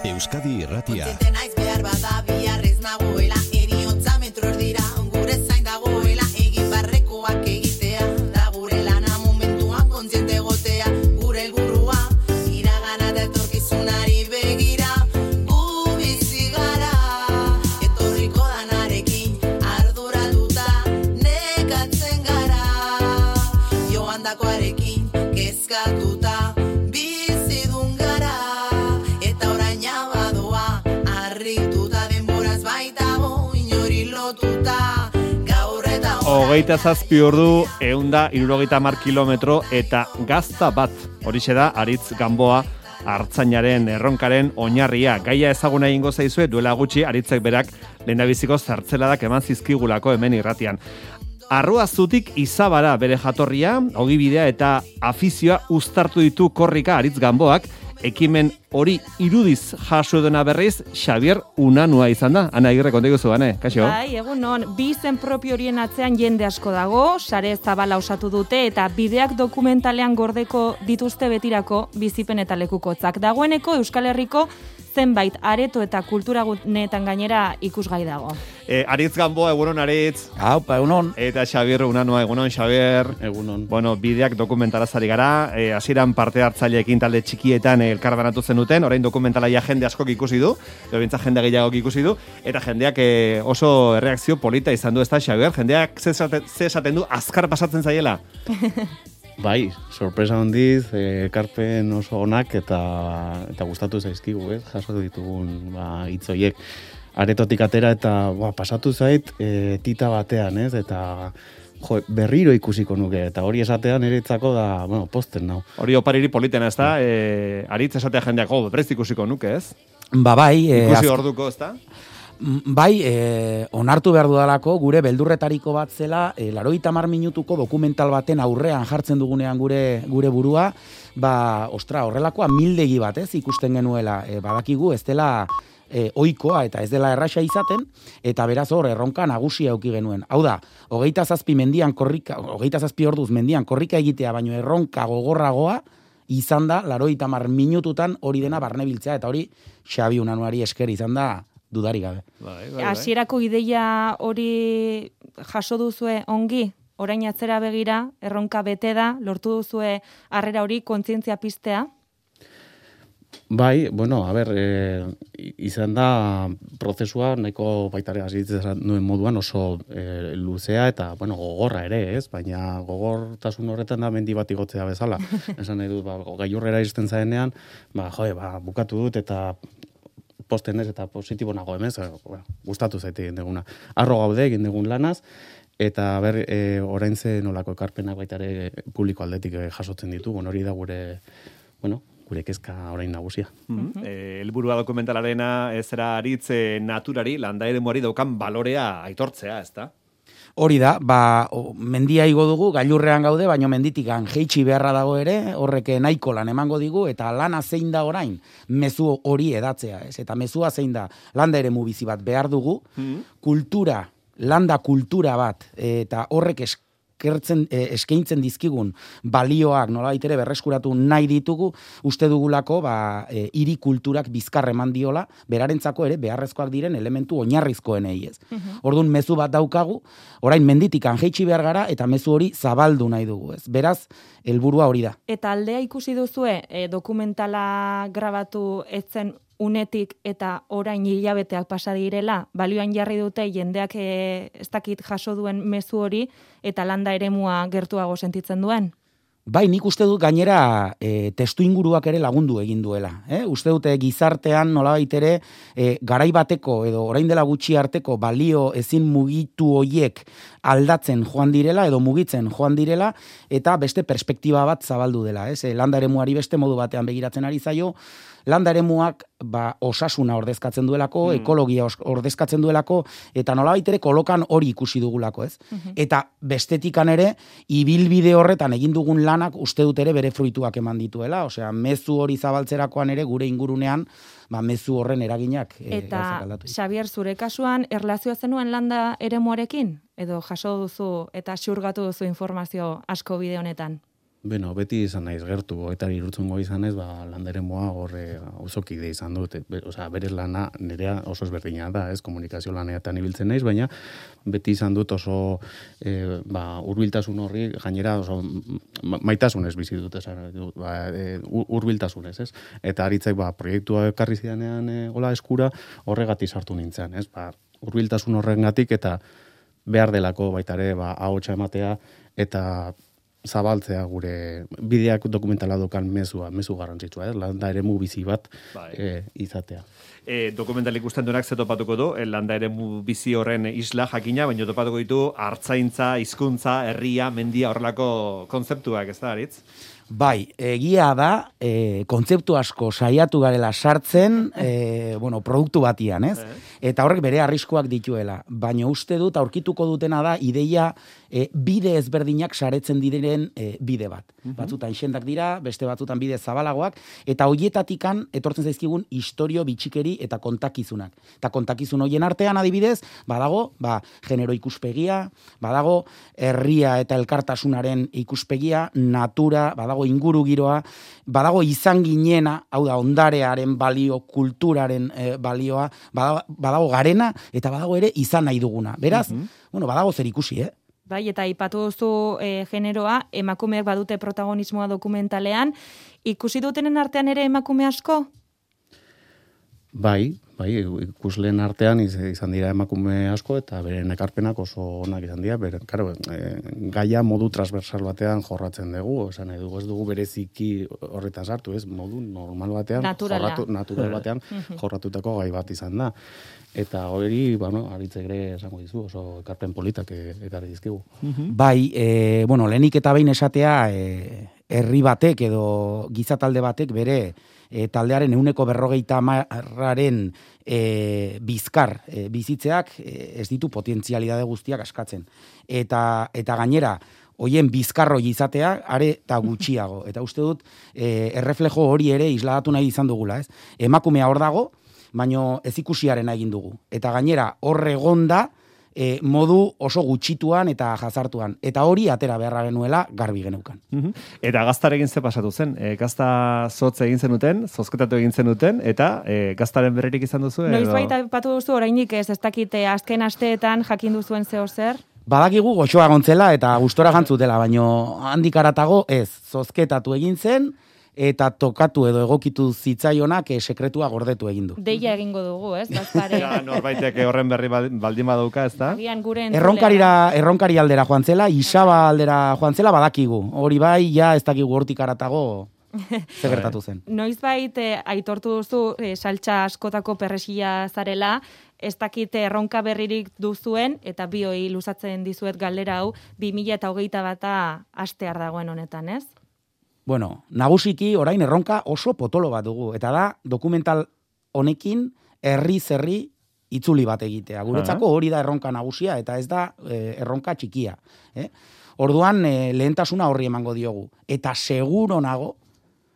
Euskadi Irratia. Kontziente naiz behar bada biharrez nagoela, eriotza metro erdira, gure zain dagoela, egin barrekoak egitea, da gure lana momentuan kontziente egotea, gure helburua, iragana da etorkizunari begira, gu bizi gara, etorriko danarekin, arduratuta, nekatzen gara, joandakoarekin, kezkatuta, bizidun gara, eta oraina badoa, harrituta denboraz baitago, inori lotuta, gaur eta 27 ordu, 170 kilometro eta gazta bat. Horixe da, Aritz Gamboa, Artzainaren erronkaren oinarria. Gaia ezaguna egingo zaizue, duela gutxi, Aritzek berak lehendabiziko zertzeladak eman zizkigulako hemen irratian. Arruazutik Izabara bere jatorria, ogibidea eta afizioa uztartu ditu korrika Aritz Gamboak, ekimen hori irudiz jaso edona berriz, Xabier Unanua izan da. Ana Agirre, konta iguzu, Ane, kaixo? Bai, egunon, bi izen propio horien atzean jende asko dago, sare zabala osatu dute eta bideak dokumentalean gordeko dituzte betirako bizipen eta lekukotzak. Dagoeneko Euskal Herriko zenbait areto eta kultura guneetan gainera ikusgai dago. Aritz Gamboa, egunon Aritz. Aupa, egunon. Eta Xabier Unanua, egunon Xabier. Egunon. Bueno, bideak dokumentalazari gara, hasieran parte hartzaileekin talde txikietan elkarbanatu zenuten, orain dokumentalaia jende askok ikusi du, bintza jende gehiagok ikusi du, eta jendeak oso erreakzio polita izan du, ez da, Xabier? Jendeak ze esaten du, azkar pasatzen zaiela? Bai, sorpresa handiz, ekarpen oso onak eta gustatu zaizkigu, ez? Jaso ditugun hitz horiek. Aretotik atera eta pasatu zait tita batean, ez? Eta berriro ikusiko nuke, eta hori esatean eretzako da, posten nau. Hori opariri politena, ez da? Aritz esatea jendeak, berriz ikusiko nuke, ez? Bai. Ikusi orduko, ez da? Bai, onartu behar dudalako, gure beldurretariko bat zela, 80 minutuko dokumental baten aurrean jartzen dugunean gure burua, horrelakoa mildegi bat, ez, ikusten genuela, badakigu, ez dela ohikoa eta ez dela erraxa izaten, eta beraz hor erronka nagusia eduki genuen. Hau da, 27 orduz mendian korrika egitea, baino erronka gogorragoa, izan da, 80 minututan hori dena barnebiltzea, eta hori Xabi Unanuari esker izan da, dudari gabe. Hasierako ideia hori jaso duzue ongi, orain atzera begira, erronka bete da, lortu duzue harrera hori kontzientzia piztea? Bai, izan da prozesua nahiko baitare hasitzen nuen moduan oso luzea eta gogorra ere, ez? Baina gogortasun horretan da mendi bat igotzea bezala. Esan nahi dut, gailurrera iristen zaenean, bukatu dut eta posten ez eta positibo nago emez, gustatu zaite egin deguna. Arro gaude egin degun lanaz, eta orain ze nolako ekarpenak baitare publiko aldetik jasotzen ditugu, hori da gure kezka orain nagusia. Helburua dokumentalarena ezera Aritz naturari, landa eremuari daukan balorea aitortzea, ez da? Hori da, mendia igo dugu, gailurrean gaude, baino menditik jeitsi beharra dago ere, horrek nahiko lan emango digu, eta lana zein da orain, mezu hori edatzea, ez? Eta mezua zein da, landa eremu bizi bat behar dugu, landa kultura bat, eta horrek eskaintzen dizkigun balioak nolabait ere berreskuratu nahi ditugu, uste dugulako hiri kulturak bizkar eman diola, berarentzako ere beharrezkoak diren elementu oinarrizkoenei, ez. Orduan mezu bat daukagu, orain menditik jeitsi behar gara eta mezu hori zabaldu nahi dugu, ez. Beraz, helburua hori da. Eta aldea ikusi duzue dokumentala grabatu etzen unetik eta orain hilabeteak pasa direla, balioan jarri dute jendeak ez dakit jaso duen mezu hori eta landa eremua gertuago sentitzen duen? Bai, nik uste dut gainera testu inguruak ere lagundu egin duela. Uste dute gizartean nolabait ere garai bateko edo orain dela gutxi arteko balio ezin mugitu hoiek aldatzen joan direla edo mugitzen joan direla eta beste perspektiba bat zabaldu dela. Landa eremuari beste modu batean begiratzen ari zaio, landa eremuak osasuna ordezkatzen duelako, ekologia ordezkatzen duelako, eta nolabait ere kolokan hori ikusi dugulako, ez? Eta bestetikan ere, ibilbide horretan egin dugun lanak uste dut ere bere fruituak eman dituela, osea, mezu hori zabaltzerakoan ere gure ingurunean, mezu horren eraginak. Eta, Xabier, zure kasuan, erlazioa zenuen landa eremuarekin? Edo jaso duzu eta xurgatu duzu informazio asko bide honetan? Beno, beti izan naiz gertu, eta irutzungo izan ez, landeremoa horre auzokide izan dut. Berez lana nerea oso ezberdina da, ez, komunikazio laneatan ibiltzen naiz, baina beti izan dut oso hurbiltasun horri, gainera oso maitasunez bizi dut, hurbiltasunez, ez? Eta aritzek proiektua ekarri zidanean gola eskura, horregatik sartu nintzen, ez? Hurbiltasun horrengatik eta behar delako baita ere ahotsa ematea eta zabaltzea gure bideak dokumentala dokan mezu garrantzitsua, landa eremu bizi bat izatea. Dokumental ikusten duenak ze topatuko du, landa eremu bizi horren isla jakina, baina topatuko ditu hartzaintza, hizkuntza, herria, mendia horrelako kontzeptuak, ez da, Aritz? Bai, egia da, kontzeptu asko saiatu garela sartzen, produktu batian, ez? Eta horrek bere arriskuak dituela. Baina uste dut, aurkituko dutena da, ideia bide ezberdinak saretzen diren bide bat. Batzutan xendak dira, beste batzutan bide zabalagoak, eta hoietatikan etortzen zaizkigun istorio bitxikeri eta kontakizunak. Eta kontakizun hoien artean adibidez, badago, genero ikuspegia, badago herria eta elkartasunaren ikuspegia, natura, badago inguru giroa, badago izan ginena, hau da, ondarearen balio, kulturaren balioa, badago garena, eta badago ere izan nahi duguna. Beraz, badago zer ikusi, Bai, eta aipatu duzu generoa, emakumeak badute protagonismoa dokumentalean, ikusi dutenen artean ere emakume asko? Bai, ikusleen artean izan dira emakume asko eta beren ekarpenak oso onak izan dira. Gaia modu transversal batean jorratzen dugu, esan nahi dugu, ez dugu bereziki horretan sartu, ez modu normal batean, natural batean jorratutako gai bat izan da. Eta hori, aritzek ere esango dizu, oso ekarpen politak ekarri dizkigu. Bai, lehenik eta behin esatea, herri batek edo gizatalde batek bere taldearen 150%aren bizkar bizitzeak ez ditu potentzialidade guztiak askatzen. Eta gainera, hoien bizkarroi izatea, are eta gutxiago. Eta uste dut, erreflejo hori ere isladatu nahi izan dugula, ez? Emakumea hor dago, baino ez ikusiarena egin dugu. Eta gainera, hor egonda, modu oso gutxituan eta jazartuan. Eta hori atera beharra genuela garbi geneukan. Eta gaztarekin ze pasatu zen? Gazta zotze egin zenuten, zozketatu egin zenuten, eta gaztaren berririk izan duzu? Noiz baita patu duzu, orainik ez dakite azken asteetan jakin duzuen zeo zer? Badakigu goxoa gontzela eta gustora jantzutela, baino handik aratago ez, zozketatu egin zen, eta tokatu edo egokitu zitzaionak sekretua gordetu egin du. Deia egingo dugu, ez? Bazpare. Norbaitek horren berri baldin badauka, ez da? Erronkari aldera joan zela, Isaba aldera joan zela badakigu. Hori bai, ez dakigu hortik aratago ze gertatu zen. Noizbait aitortu duzu saltsa askotako perresia zarela, ez dakite erronka berririk duzuen, eta bioi luzatzen dizuet galdera hau, 2021 hastear dagoen honetan, ez? Bueno, nagusiki orain erronka oso potolo bat dugu, eta da dokumental honekin herri itzuli bat egitea. Guretzako hori da erronka nagusia, eta ez da erronka txikia. Orduan lehentasuna horri emango diogu. Eta seguro nago,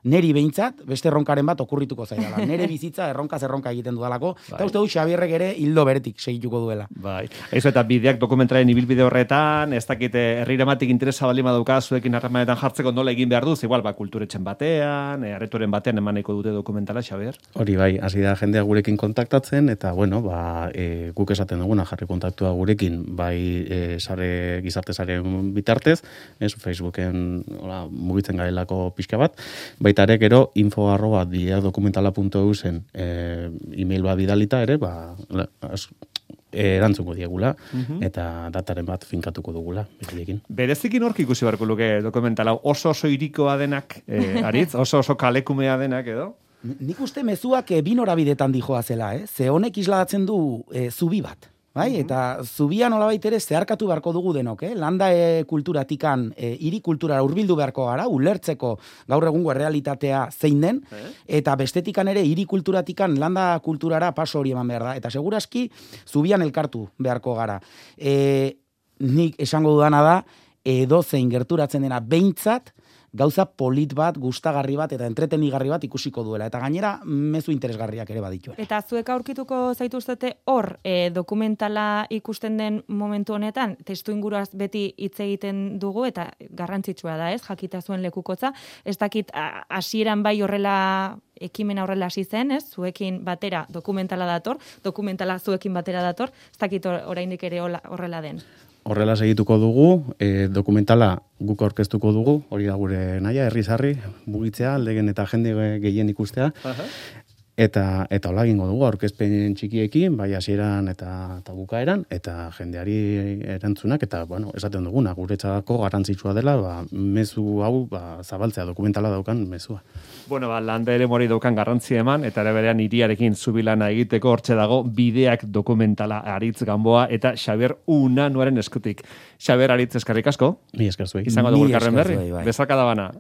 neri behintzat, beste erronkaren bat okurrituko zaidala. Nere bizitza erronka egiten dudalako, eta uste du Xabierrek ere hildo beretik segituko duela. Bai. Eso eta bideak dokumentaren ibilbide horretan, ez dakite herriramatik interesa baldin badauka zuekin harremanetan jartzeko nola egin behar duz, igual kulturetxen batean, aretoren batean emaneko dute dokumentala, Xabier? Hori bai, hasi da jendea gurekin kontaktatzen, eta guk esaten duguna jarri kontaktua gurekin, bai gizarte saren bitartez, Facebooken mugitzen garelako pixka bat, baita ere gero info@bideakdokumentala.eu zen email bat bidalita ere, erantzungo diegula, eta dataren bat finkatuko dugula. Berezikin horki ikusi barko luke dokumentala, oso irikoa denak, Aritz, oso kalekumea denak edo? Nik uste mezuak bi norabidetan dijoa zela, ze honek isladatzen du zubi bat. Bai, eta zubia nolabait ere zeharkatu beharko dugu denok, landa kulturatikan hiri kulturara hurbildu beharko gara, ulertzeko gaur egungo errealitatea zein den, eta bestetikan ere hiri kulturatikan landa kulturara paso hori eman behar da, eta seguraski zubian elkartu beharko gara. Nik esango dudana da, edozein gerturatzen dena behintzat, gauza polit bat, gustagarri bat eta entretenigarri bat ikusiko duela. Eta gainera, mezu interesgarriak ere baditu. Eta zuek aurkituko zaituztete hor dokumentala ikusten den momentu honetan, testu inguruaz beti hitz egiten dugu eta garrantzitsua da, ez? Jakita zuen lekukotza. Ez dakit hasieran bai horrela ekimena horrela hasi zen, ez? Zuekin batera dokumentala dator, dokumentala zuekin batera dator, ez dakit oraindik ere horrela den. Horrela segituko dugu, dokumentala guk aurkeztuko dugu, hori da gure nahia, herri-sarri, mugitzea, aldegen eta jende gehien ikustea. Eta hola egingo dugu aurkezpen txikiekin, bai hasieran eta bukaeran, eta jendeari erantzunak, eta bueno, esaten duguna, guretzako garrantzitsua dela, mezu hau zabaltzea dokumentala daukan mezua. Bueno, landa ere mori daukan garrantzia eman, eta ere berean hiriarekin zubilana egiteko hortxe dago bideak dokumentala Aritz Gamboa eta Xabier Unanuaren eskutik. Xabier, Aritz, eskerrik asko. Ni esker zuei. Izango dugu elkarren berri. Bezarka da bana.